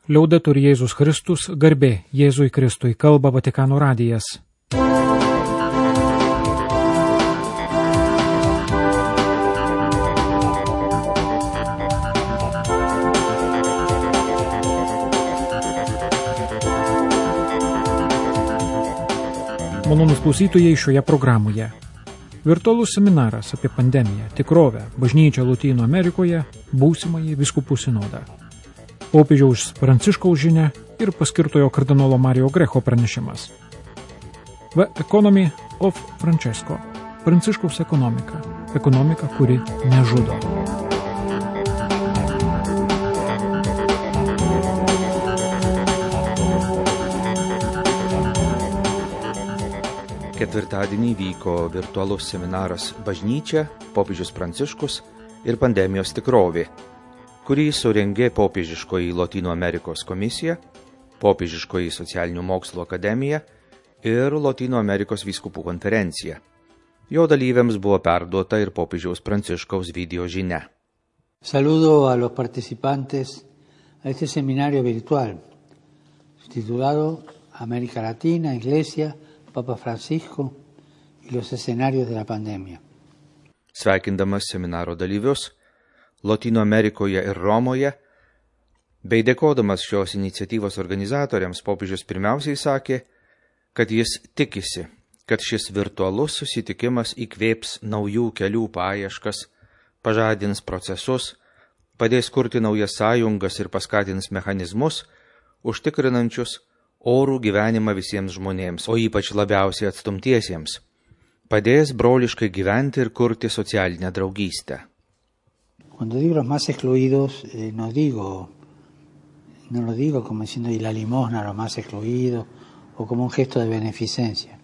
Liaudetur Jėzus Kristus, garbė Jėzui Kristui, kalba Vatikano radijas. Malonūs klausytojai šioje programoje. Virtualus seminaras apie pandemiją, tikrovę, bažnyčią Lotynų Amerikoje, būsimąjį vyskupų sinodą. Popiežiaus Pranciškaus žinia ir paskirtojo kardinolo Mario Grecho pranešimas. The Economy of Francesco. Pranciškaus ekonomika. Ekonomika, kuri nežudo. Ketvirtadienį vyko virtualus seminaras Bažnyčia, popiežius Pranciškus ir pandemijos tikrovė, kurį surengė Popiežiškoji Lotynų Amerikos komisija, Popiežiškoji socialinių mokslų akademija ir Lotynų Amerikos vyskupų konferencija. Jo dalyviams buvo perduota ir popiežiaus Pranciškaus video žinia. Saludo a los participantes a este seminario virtual, titulado América Latina, Iglesia, Papa Francisco y los escenarios de la pandemia. Sveikindamas seminaro dalyvius Lotynų Amerikoje ir Romoje, bei dėkodamas šios iniciatyvos organizatoriams, popiežius pirmiausiai sakė, kad jis tikisi, kad šis virtualus susitikimas įkvėps naujų kelių paieškas, pažadins procesus, padės kurti naujas sąjungas ir paskatins mechanizmus, užtikrinančius orų gyvenimą visiems žmonėms, o ypač labiausiai atstumtiesiems. Padės broliškai gyventi ir kurti socialinę draugystę. Cuando digo los más excluidos, no lo digo como diciendo y la limosna a los más excluidos o como un gesto de beneficencia,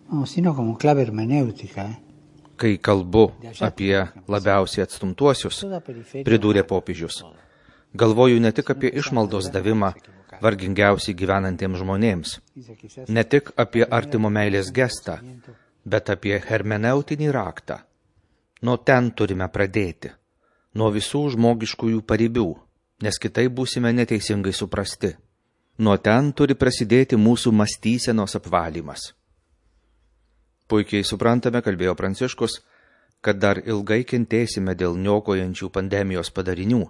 no, sino como clave hermenéutica. Kai kalbu apie labiausiai atstumtuosius, pridūrė popiežius, galvoju ne tik apie išmaldos davimą vargingiausiai gyvenantiems žmonėms, ne tik apie artimo meilės gestą, bet apie hermeneutinį raktą. Nuo ten turime pradėti, nuo visų žmogiškųjų paribių, nes kitaip būsime neteisingai suprasti. Nuo ten turi prasidėti mūsų mąstysenos apvalymas. Puikiai suprantame, kalbėjo Pranciškus, kad dar ilgai kentėsime dėl niokojančių pandemijos padarinių,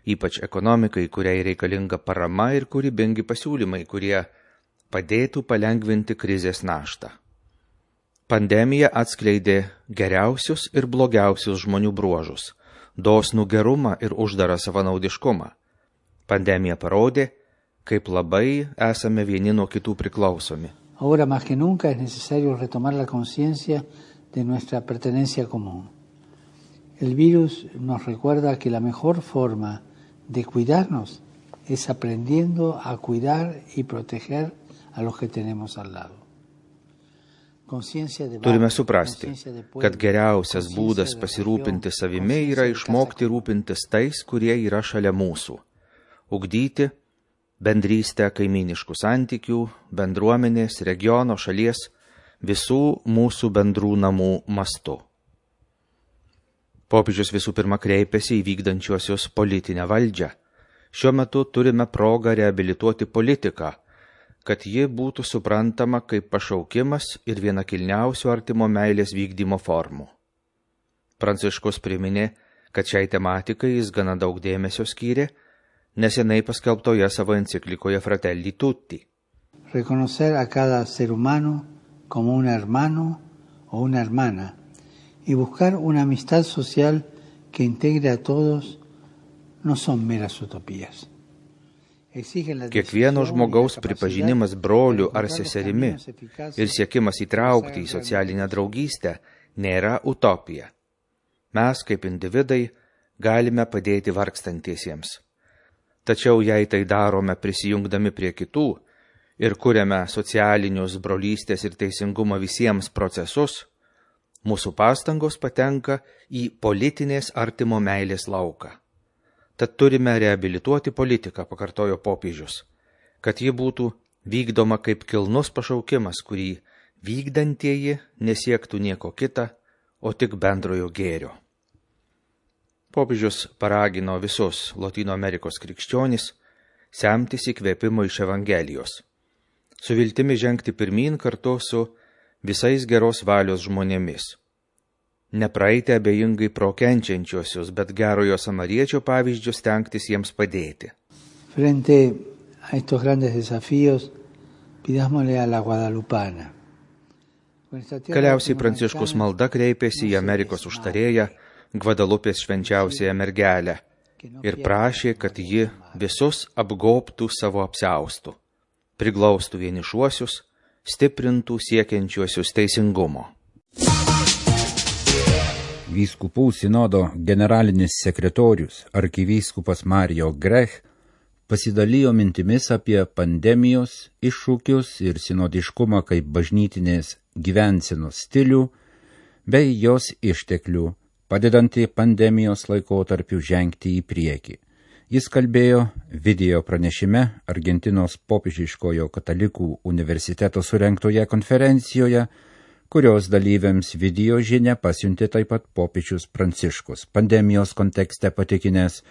ypač ekonomikai, kuriai reikalinga parama ir kūrybingi pasiūlymai, kurie padėtų palengvinti krizės naštą. Pandemija atskleidė geriausius ir blogiausius žmonių bruožus, dosnų gerumą ir uždarą savanaudiškumą. Pandemija parodė, kaip labai esame vieni nuo kitų priklausomi. Ahora más que nunca es necesario retomar la conciencia de nuestra pertenencia común. El virus nos recuerda que la mejor forma de cuidarnos es aprendiendo a cuidar y proteger a los que tenemos al lado. Turime suprasti, kad geriausias būdas pasirūpinti savimi yra išmokti rūpintis tais, kurie yra šalia mūsų. Ugdyti bendrystę kaimyniškų santykių, bendruomenės, regiono, šalies, visų mūsų bendrų namų mastu. Popiežius visų pirma kreipėsi į vykdančiuosius politinę valdžią. Šiuo metu turime progą reabilituoti politiką, kad ji būtų suprantama kaip pašaukimas ir viena kilniausių artimo meilės vykdymo formų. Pranciškus priminė, kad šiai tematikai jis gana daug dėmesio skyrė nesenai paskelbtoje savo enciklikoje Fratelli Tutti. Reconocer a cada ser humano como un hermano o una hermana y buscar una amistad social que integre a todos no son meras utopías. Kiekvieno žmogaus pripažinimas broliu ar seserimi ir siekimas įtraukti į socialinę draugystę nėra utopija. Mes, kaip individai, galime padėti vargstantiesiems. Tačiau jei tai darome prisijungdami prie kitų ir kuriame socialinius brolystės ir teisingumo visiems procesus, mūsų pastangos patenka į politinės artimo meilės lauką. Tad turime reabilituoti politiką, pakartojo popiežius, kad ji būtų vykdoma kaip kilnus pašaukimas, kurį vykdantieji nesiektų nieko kita, o tik bendrojo gėrio. Popiežius paragino visus Lotynų Amerikos krikščionis semtis įkvėpimo iš Evangelijos, su viltimi žengti pirmyn kartu su visais geros valios žmonėmis. Nepraeiti abejingai pro kenčiančiosius, bet gerojo samariečio pavyzdžius stengtis jiems padėti. Frente a estos grandes desafíos, pidámosle a la guadalupana. Galiausiai Pranciškus malda kreipėsi į Amerikos užtarėją, Gvadalupės švenčiausiąją mergelę, ir prašė, kad ji visus apgobtų savo apsiaustu, priglaustų vienišuosius, stiprintų siekiančiuosius teisingumo. Vyskupų sinodo generalinis sekretorius arkivyskupas Mario Grech pasidalijo mintimis apie pandemijos iššūkius ir sinodiškumą kaip bažnytinės gyvensenos stilių bei jos išteklių, padedantį pandemijos laikotarpiu žengti į priekį. Jis kalbėjo video pranešime Argentinos popiežiškojo katalikų universiteto surengtoje konferencijoje, kurios dalyviams video žinią pasiuntė taip pat popiežius Pranciškus, pandemijos kontekste patikinęs,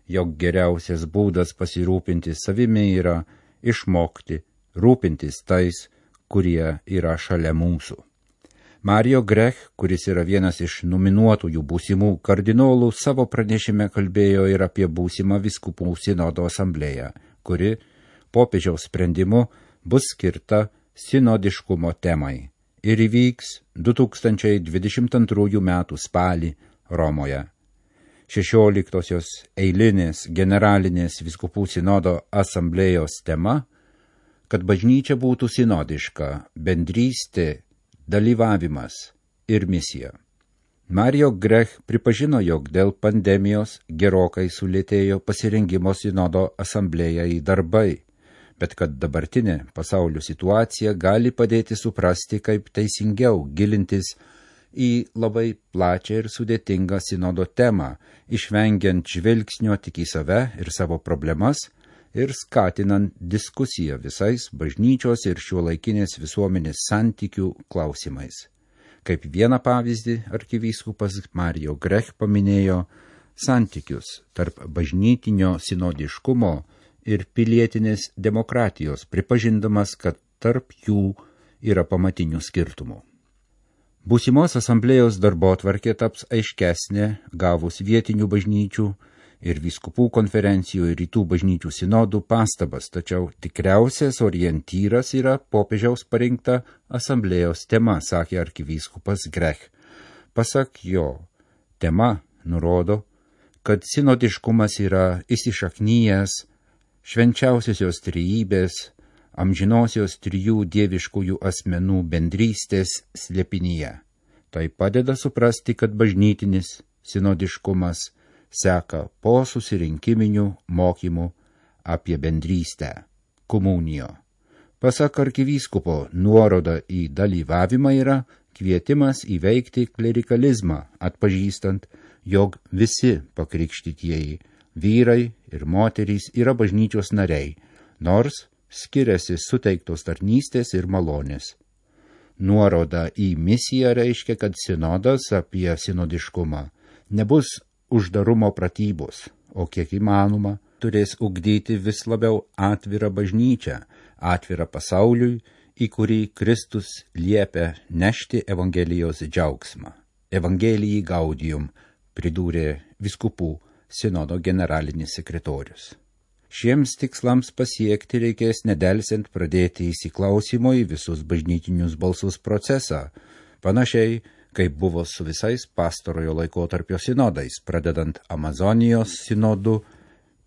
jog geriausias būdas pasirūpinti savimi yra išmokti rūpintis tais, kurie yra šalia mūsų. Mario Grech, kuris yra vienas iš nominuotųjų būsimų kardinolų, savo pranešime kalbėjo ir apie būsimą vyskupų sinodo asamblėją, kuri popiežiaus sprendimu bus skirta sinodiškumo temai ir įvyks 2022 metų spalį Romoje. 16-osios eilinės generalinės vyskupų sinodo asamblėjos tema, kad bažnyčia būtų sinodiška, bendrystė, dalyvavimas ir misija. Mario Grech pripažino, jog dėl pandemijos gerokai sulėtėjo pasirengimo sinodo asamblėjai darbai, bet kad dabartinė pasaulio situacija gali padėti suprasti, kaip teisingiau gilintis į labai plačią ir sudėtingą sinodo temą, išvengiant žvilgsnio tik į save ir savo problemas ir skatinant diskusiją visais bažnyčios ir šiuolaikinės visuomenės santykių klausimais. Kaip vieną pavyzdį arkivyskupas Mario Grech paminėjo santykius tarp bažnytinio sinodiškumo ir pilietinės demokratijos, pripažindamas, kad tarp jų yra pamatinių skirtumų. Būsimos asamblėjos darbotvarkė taps aiškesnė gavus vietinių bažnyčių ir vyskupų konferencijų ir rytų bažnyčių sinodų pastabas, tačiau tikriausias orientyras yra popiežiaus parinkta asamblėjos tema, sakė arkivyskupas Grech. Pasak jo, tema nurodo, kad sinodiškumas yra įsišaknyjęs švenčiausiosios trejybės, amžinosios trijų dieviškųjų asmenų bendrystės slėpinyje. Tai padeda suprasti, kad bažnytinis sinodiškumas seka po susirinkiminių mokymų apie bendrystę, komunijo. Pasak arkivyskupo, nuoroda į dalyvavimą yra kvietimas įveikti klerikalizmą, atpažįstant, jog visi pakrikštytieji vyrai ir moterys yra bažnyčios nariai, nors skiriasi suteiktos tarnystės ir malonės. Nuoroda į misiją reiškia, kad sinodas apie sinodiškumą nebus uždarumo pratybos, o kiek įmanoma turės ugdyti vis labiau atvirą bažnyčią, atvirą pasauliui, į kurį Kristus liepia nešti Evangelijos džiaugsmą. Evangelijai gaudium, pridūrė vyskupų sinodo generalinis sekretorius. Šiems tikslams pasiekti reikės nedelsiant pradėti įsiklausimo į visus bažnytinius balsus procesą, panašiai kaip buvo su visais pastarojo laikotarpio sinodais, pradedant Amazonijos sinodu,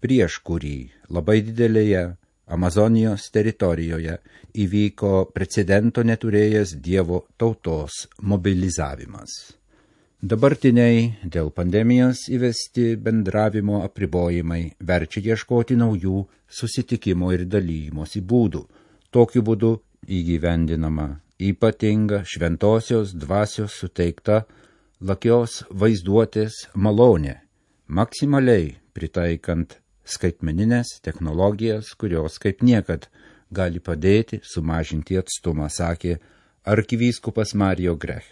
prieš kurį labai didelėje Amazonijos teritorijoje įvyko precedento neturėjęs Dievo tautos mobilizavimas. Dabartiniai dėl pandemijos įvesti bendravimo apribojimai verčia ieškoti naujų susitikimo ir dalymosi būdų. Tokiu būdu įgyvendinama ypatinga šventosios dvasios suteikta lakios vaizduotės malonė, maksimaliai pritaikant skaitmeninės technologijas, kurios kaip niekad gali padėti sumažinti atstumą, sakė arkivyskupas Mario Grech.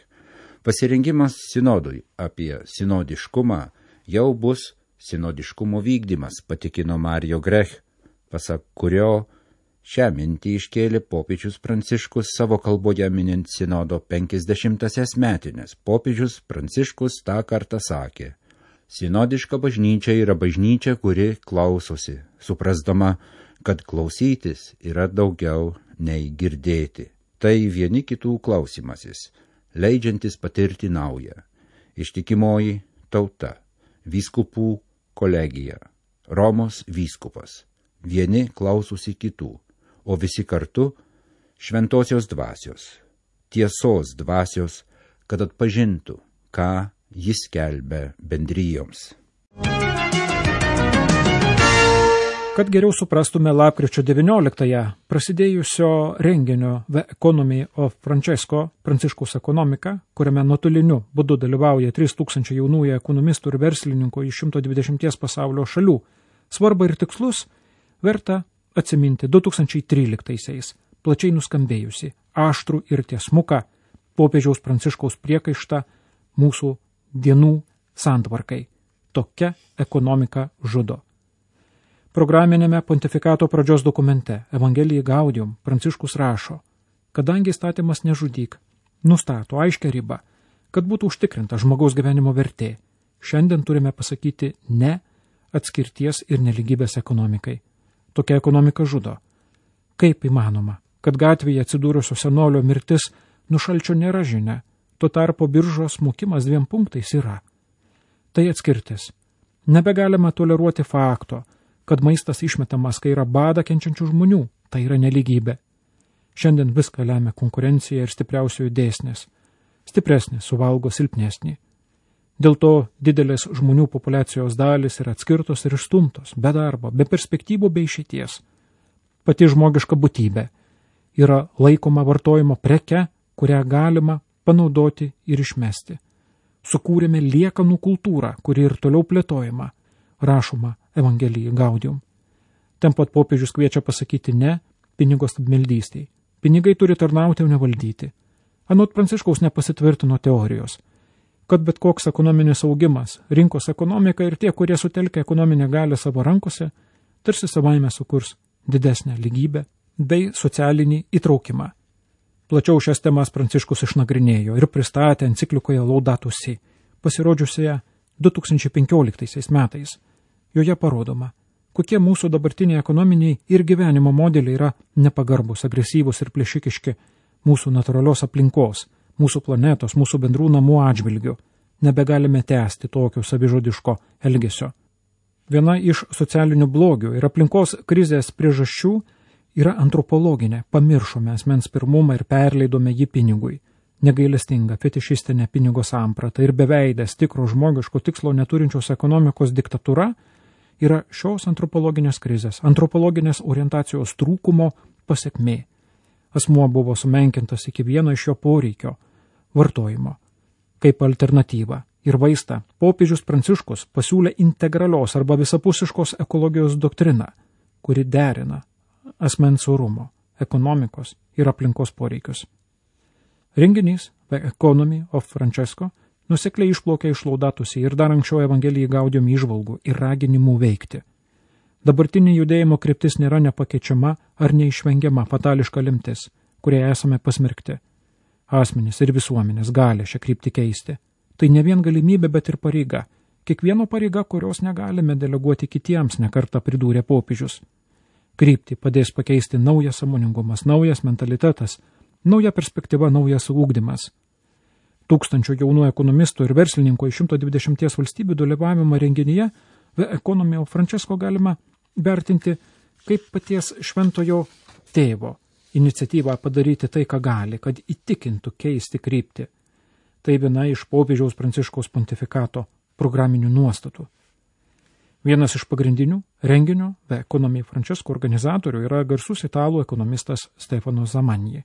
Pasirengimas sinodui apie sinodiškumą jau bus sinodiškumo vykdymas, patikino Mario Grech. pasak kurio šią mintį iškėlė popiežius Pranciškus savo kalboje minint sinodo 50-asias metines. Popiežius Pranciškus tą kartą sakė: sinodiška bažnyčia yra bažnyčia, kuri klausosi, suprasdama, kad klausytis yra daugiau nei girdėti. Tai vieni kitų klausimasis, leidžiantis patirti naują. Ištikimoji tauta, vyskupų kolegija, Romos vyskupas. Vieni klausosi kitų, o visi kartu šventosios dvasios, tiesos dvasios, kad atpažintų, ką jis skelbia bendrijoms. Kad geriau suprastume lapkričio 19-ąją prasidėjusio renginio The Economy of Pranciškaus ekonomika, kuriame nuotoliniu būdu dalyvauja 3000 jaunųjų ekonomistų ir verslininkų iš 120 pasaulio šalių, svarbą ir tikslus verta atsiminti 2013-aisiais plačiai nuskambėjusi aštrų ir tiesmuką popiežiaus Pranciškaus priekaištą mūsų dienų santvarkai. Tokia ekonomika žudo. Programinėme pontifikato pradžios dokumente Evangelijai Gaudium Pranciškus rašo: kadangi įstatymas nežudyk nustato aiškią ribą, kad būtų užtikrinta žmogaus gyvenimo vertė, šiandien turime pasakyti ne atskirties ir neligybės ekonomikai. Tokia ekonomika žudo. Kaip įmanoma, kad gatvėje atsidūrusio senolio mirtis nušalčio nėra žinia, tuo tarpu biržos smukimas 2 punktais yra. Tai atskirtis. Nebegalima toleruoti fakto, kad maistas išmetamas, kai yra badą kenčiančių žmonių, tai yra nelygybė. Šiandien viską lemia konkurencija ir stipriausiųjų dėsnis. Stipresnis suvalgo silpnesnį. Dėl to didelės žmonių populiacijos dalis yra atskirtos ir išstumtos, be darbo, be perspektyvų, be išeities. Pati žmogiška būtybė yra laikoma vartojimo preke, kurią galima panaudoti ir išmesti. Sukūrėme liekanų kultūrą, kuri ir toliau plėtojama, rašoma Evangelijai Gaudium. Ten pat popiežius kviečia pasakyti ne pinigo stabmeldystei. Pinigai turi tarnauti, o ne valdyti. Anot Pranciškaus nepasitvirtino teorijos, kad bet koks ekonominis augimas, rinkos ekonomika ir tie, kurie sutelkia ekonominę galią savo rankose, tarsi savaime sukurs didesnę lygybę bei socialinį įtraukimą. Plačiau šias temas Pranciškus išnagrinėjo ir pristatė enciklikoje Laudato Si, pasirodžiusioje 2015 metais. Joje parodoma, kokie mūsų dabartiniai ekonominiai ir gyvenimo modeliai yra nepagarbus, agresyvus ir plėšikiški mūsų natūralios aplinkos, mūsų planetos, mūsų bendrų namų atžvilgių. Nebegalime tęsti tokio savižudiško elgesio. Viena iš socialinių blogių ir aplinkos krizės priežasčių yra antropologinė. Pamiršome asmens pirmumą ir perleidome jį pinigui. Negailestinga fetišistinė pinigo samprata ir beveidės tikro žmogiško tikslo neturinčios ekonomikos diktatūra yra šios antropologinės krizės, antropologinės orientacijos trūkumo pasekmė. Asmuo buvo sumenkintas iki vieno iš jo poreikio – vartojimo. Kaip alternatyva ir vaistą popiežius Pranciškus pasiūlė integralios arba visapusiškos ekologijos doktriną, kuri derina asmens orumo, ekonomikos ir aplinkos poreikius. Renginys The Economy of Francesco nusekliai išplaukė iš Laudato Si ir dar anksčiau Evangelijai Gaudium įžvalgų ir raginimų veikti. Dabartinė judėjimo kryptis nėra nepakeičiama ar neišvengiama fatališka lemtis, kurie esame pasmerkti. Asmenys ir visuomenės gali šią kryptį keisti. Tai ne vien galimybė, bet ir pareiga. Kiekvieno pareiga, kurios negalime deleguoti kitiems, nekartą pridūrė popiežius. Kryptį padės pakeisti naujas sąmoningumas, naujas mentalitetas, nauja perspektyva, naujas ugdymas. Tūkstančių jaunų ekonomistų ir verslininkų iš 120 valstybių dalyvavimą renginyje The Economy of Francesco galima vertinti kaip paties šventojo tėvo iniciatyvą padaryti tai, ką gali, kad įtikintų keisti kryptį. Tai viena iš popiežiaus Pranciškaus pontifikato programinių nuostatų. Vienas iš pagrindinių renginio The Economy Francesco organizatorių yra garsus italų ekonomistas Stefano Zamanji,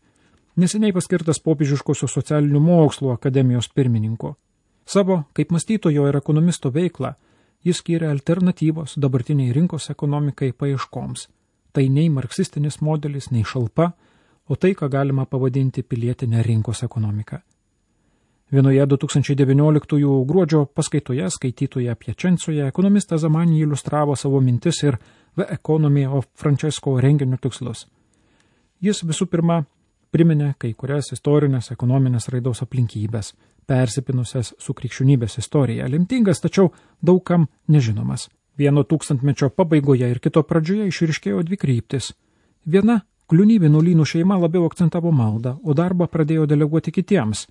neseniai paskirtas popiežiškosios socialinių mokslų akademijos pirmininko. Savo kaip mąstytojo ir ekonomisto veiklą jis skyrė alternatyvos dabartiniai rinkos ekonomikai paieškoms. Tai nei marksistinis modelis, nei šalpa, o tai, ką galima pavadinti pilietinę rinkos ekonomiką. Vienoje 2019 gruodžio paskaitoje skaitytoje Piačencoje ekonomistas Zamanji iliustravo savo mintis ir The Economy of Francesco renginio tikslus. Jis visų pirma priminė kai kurias istorinės ekonominės raidos aplinkybės, persipinusias su krikščionybės istorija, lemtingas, tačiau daugam nežinomas. Vieno tūkstantmečio pabaigoje ir kito pradžioje išryškėjo dvi kryptis. Viena Kliuni vienuolynų šeima labiau akcentavo maldą, o darbą pradėjo deleguoti kitiems.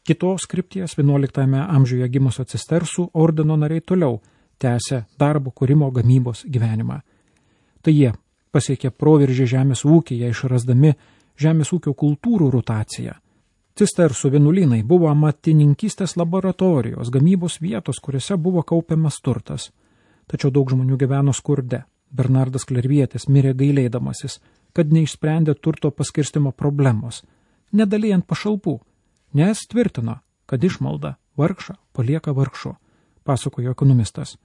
Kitos krypties 11 amžiuje gimusio cistersų ordino nariai toliau tęsė darbo kūrimo gamybos gyvenimą. Tai jie pasiekė proveržį žemės ūkyje, išrasdami žemės ūkio kultūrų rotaciją. Cistersų vienuolynai buvo amatininkystės laboratorijos, gamybos vietos, kuriuose buvo kaupiamas turtas. Tačiau daug žmonių gyveno skurde. Bernardas Klervietis mirė gailėdamasis, kad neišsprendė turto paskirstimo problemos, nedalijant pašalpų, nes tvirtino, kad išmalda vargšą palieka vargšu, pasakojo ekonomistas.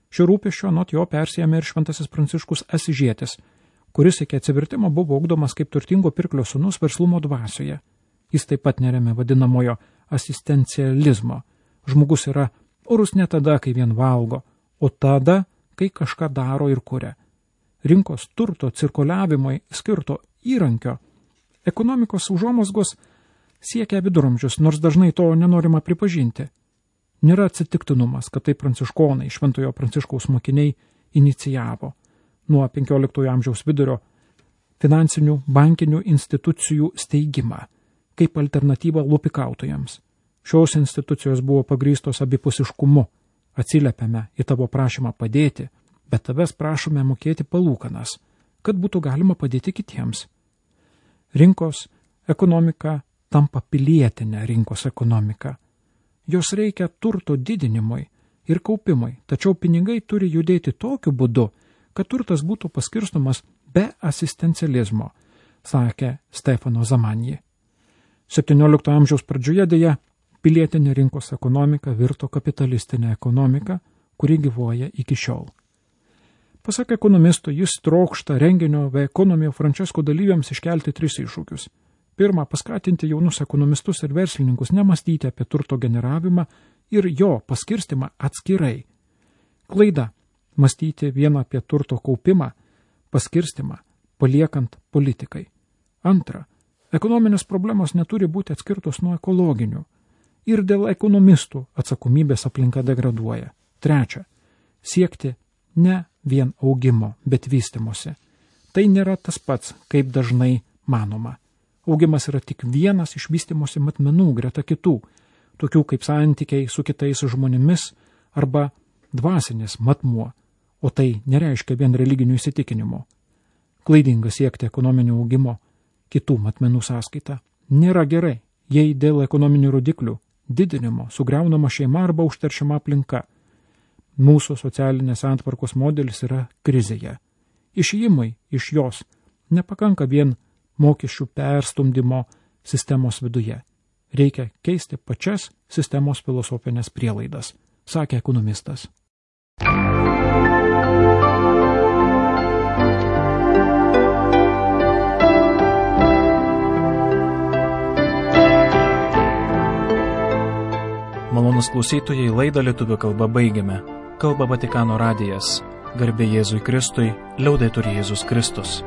Šio rūpesčio anot jo persijėmė ir šventasis Pranciškus Asižietis, kuris iki atsivertimo buvo ugdomas kaip turtingo pirklio sūnus verslumo dvasioje. Jis taip pat neremė vadinamojo asistencializmo. Žmogus yra orus ne tada, kai vien valgo, o tada, kai kažką daro ir kuria. Rinkos turto cirkuliavimui skirto įrankio ekonomikos užuomazgos siekia viduramžius, nors dažnai to nenorima pripažinti. Nėra atsitiktinumas, kad tai pranciškonai, šventojo Pranciškaus mokiniai, inicijavo nuo 15 amžiaus vidurio finansinių bankinių institucijų steigimą kaip alternatyva lupikautojams. Šios institucijos buvo pagrįstos abipusiškumu. Atsiliepiame į tavo prašymą padėti, bet tavęs prašome mokėti palūkanas, kad būtų galima padėti kitiems. Rinkos ekonomika tampa pilietinė rinkos ekonomika. Jos reikia turto didinimui ir kaupimui, tačiau pinigai turi judėti tokiu būdu, kad turtas būtų paskirstomas be asistencializmo, sakė Stefano Zamanji. 17 amžiaus pradžioje dėja pilietinė rinkos ekonomika virto kapitalistinė ekonomika, kuri gyvuoja iki šiol. Pasak ekonomisto, jis trokšta renginio The Economy of Francesco dalyviams iškelti 3 iššūkius. Pirma, paskatinti jaunus ekonomistus ir verslininkus nemastyti apie turto generavimą ir jo paskirstimą atskirai. Klaida – mąstyti vieną apie turto kaupimą, paskirstimą, paliekant politikai. Antra, ekonominės problemos neturi būti atskirtos nuo ekologinių. Ir dėl ekonomistų atsakomybės aplinka degraduoja. Trečia, siekti ne vien augimo, bet vystimosi. Tai nėra tas pats, kaip dažnai manoma. Augimas yra tik vienas iš vystimosi matmenų greta kitų, tokių kaip santykiai su kitais žmonėmis arba dvasinis matmuo, o tai nereiškia vien religinių įsitikinimų. Klaidinga siekti ekonominio augimo kitų matmenų sąskaita. Nėra gerai, jei dėl ekonominių rodiklių didinimo sugriaunama šeima arba užteršiama aplinka. Mūsų socialinės santvarkos modelis yra krizėje. Išėjimui iš jos nepakanka vien mokesčių perstumdymo sistemos viduje. Reikia keisti pačias sistemos filosofinės prielaidas, sakė ekonomistas. Malonus klausytojai, laidą lietuvių kalba baigiame. Kalba Vatikano radijas. Garbė Jėzui Kristui, liaudetur Jėzus Kristus.